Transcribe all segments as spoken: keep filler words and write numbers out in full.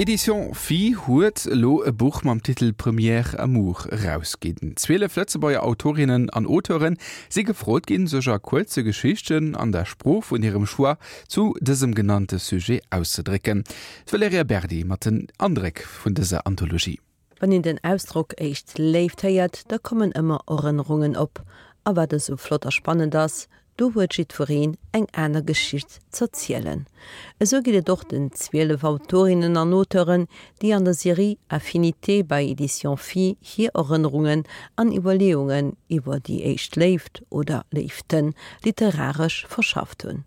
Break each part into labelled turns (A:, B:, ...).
A: Éditions Phi huet elo e Buch mam Titel Premier Amour erausginn. Zwielef Lëtzebuerger Autorinnen an Auteuren si gefrot ginn, sech a kuerze Geschichten an der Sprooch vun hirem Choix zu dësem genannte Sujet auszedrécken. D'Valerija Berdi mat den Andréck vun dëser Anthologie.
B: Wann een den Ausdrock éischt Léift héiert, da kommen ëmmer Erënnerungen op. A wat esou flott a spannend ass, do huet jiddwereen eng aner Geschicht z'erzielen. Esou geet et och den zwielef Autorinnen an Auteuren, déi an der Serie Affinités bei Éditions Phi hir Erënnerungen an Iwwerleeungen iwwer déi éischt Léift oder Léiften literaresch verschafft hunn.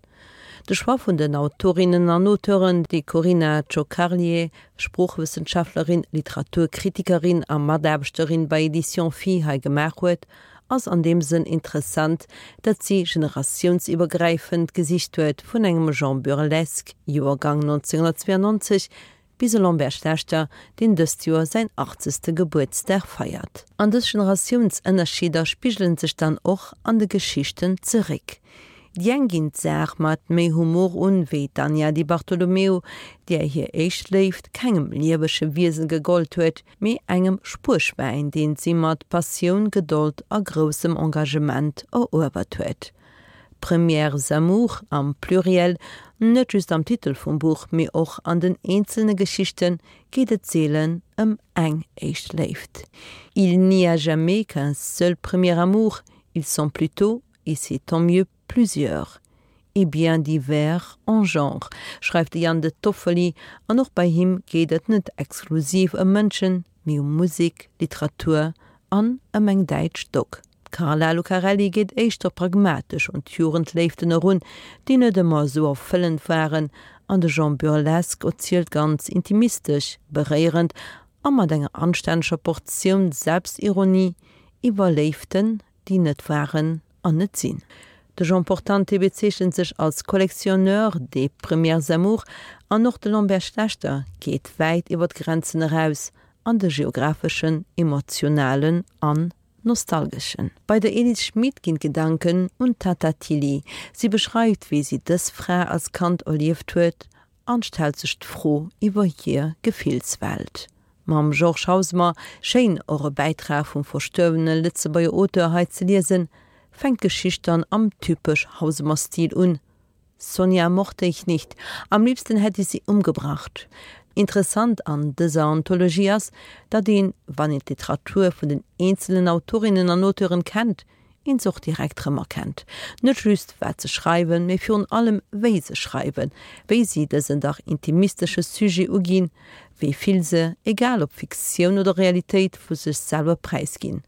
B: De Choix vun den Autorinnen an Auteuren, dee Corina Ciocarlie, Sproochwëssenschaftlerin, Literaturkritikerin a Mataarbechterin bei Éditions Phi hei gemaach huet, ass an deem Sënn interessant, datt si generatiounsiwwergräifend gesicht huet, vun engem Jean Bürlesk, Joergang nonzénghunnertzweeanonzeg, bis e Lambert Schlechter, deen dëst Joer säin achtzegste Gebuertsdag feiert. An dës Generatiounsënnerscheeder spigelen sech dann och an de Geschichten zeréck. Déi eng ginn d'Saach mat méi Humor un, wéi d'Anja Di Bartolomeo, där hir éischt Léift kengem liewege Wiese gegollt huet, mee engem Spuerschwäin, deen si mat Passioun, Gedold a groussem Engagement eruewert huet. Premières amours am Pluriel, net just am Titel vum Buch, mee och an den eenzelne Geschichten, geet et seelen ëm eng éischt Léift. Il n'y a jamais qu'un seul premier amour, ils sont plutôt, et c'est tant mieux, plusieurs et bien divers en genre, schreift de Jan De Toffoli, an och bei him geet et net exklusiv ëm Mënschen, mee ëm Musek, Literatur an ëm eng däitsch Dogg. D'Carla Lucarelli geet éischter pragmatesch un d'Jugendléiften erun, déi net ëmmer esou erfëllend waren, an de Jean Bürlesk erzielt ganz intimistesch, beréierend a mat enger anstänneger Portioun Selbstironie iwwer Léiften, déi net waren an net sinn. De Jean Portante bezeechent sech als Collectionneur des premières amours an och de Lambert Schlechter geet wäit iwwer d'Grenzen eraus an de geographeschen, emotionalen an nostalgeschen. Bei der Edith Schmid ginn d'Gedanken un d'Tatta Tilly. Si beschreift, wéi si dës Fra als Kand erlieft huet an stellt sech d'Fro iwwer hir Gefillswelt. Mam Georges Hausemer, schéin och e Bäitrag vum verstuerwene Lëtzebuerger Auteur hei ze liesen, fänkt d'Geschicht dann am typesch Hausemer-Stil un, Sonja mochte ich nicht, am liebsten hätte ich sie umgebracht. Interessant an dëser Anthologie ass, datt een, wann een d'Literatur vun den eenzelen Autorinnen an Auteuren kennt, een se och direkt rëmerkennt. Net just wat se schreiwen, mee virun allem wéi se schreiwen, wéi si dësen dach intimistesche Sujet uginn, wéi vill se, egal ob Fiktioun oder Realitéit, vu sech selwer präisginn.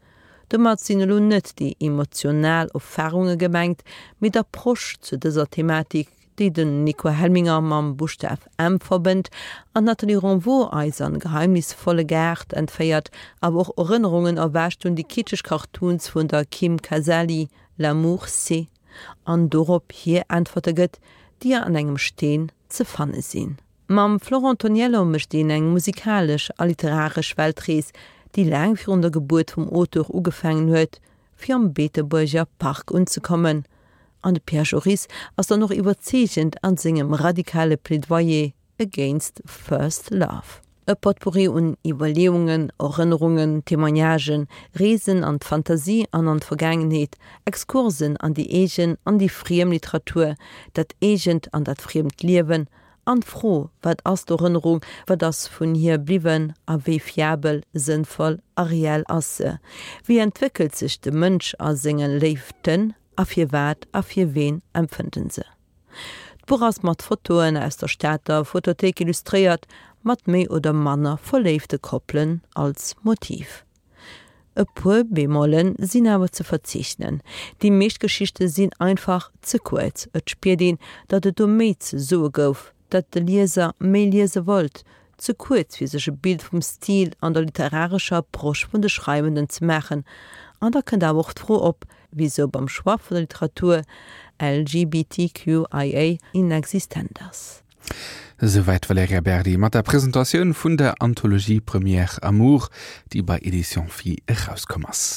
B: Domat sinn elo net déi emotional Erfarunge gemengt, mee d'Approche zu dëser Thematik, déi den Nico Helminger mam Buschtaf M verbënnt an d'Nathalie Renvaux eis an geheimnisvolle Gaart entféiert, awer och Erënnerungen erwächt un déi kitscheg Cartoons vun der Kim Casali, L'amour c'est, an dorop hir Äntwerte gëtt, déi an engem Steen ze fanne sinn. Mam Florent Toniello mécht een eng musikalesch a literaresch Weltrees, déi laang virun der Gebuert vum Auteur ugefaangen huet, fir am Beetebuerger Park unzekommen. An de Pierre Joris ass dann och iwwerzeegend an sengem radikale Plädoyer against first love. E Potpourri un Iwwerleeungen, Erënnerungen, Témoignagen, Reesen an d'Fantasie an an d'Vergaangenheet, Exkursen an déi eegen an déi friem Literatur, dat eegent an dat friemt Liewen, an d'Fro, Wat ass d'Erënnerung, wat ass vun hir bliwwen a wéi fiabel, sënnvoll a reell ass se? Wéi entwéckelt sech de Mënsch a senge Léiften a firwat a fir ween empfënnt en se? D'Buch ass mat Fotoen aus der Stater Fotothéik illustréiert, mat méi oder manner verléifte Koppelen als Motiv. E puer Bemolle sinn awer ze verzeechnen, Déi meescht Geschichte sinn einfach ze kuerz, et spiert een, datt et do méi ze soe gouf, datt de Lieser méi liese wollt, ze kuerz fir sech e Bild vum Stil an der literarescher Approche vun de Schreiwenden ze maachen. An da kënnt awer och d'Fro op, wisou beim Choix vun der Literatur LGBTQIA inexistent ass.
A: Esouwäit d'Valerija Berdi mat der Presentatioun vun der Anthologie Première Amour, déi bei Editions Phi erauskomm ass.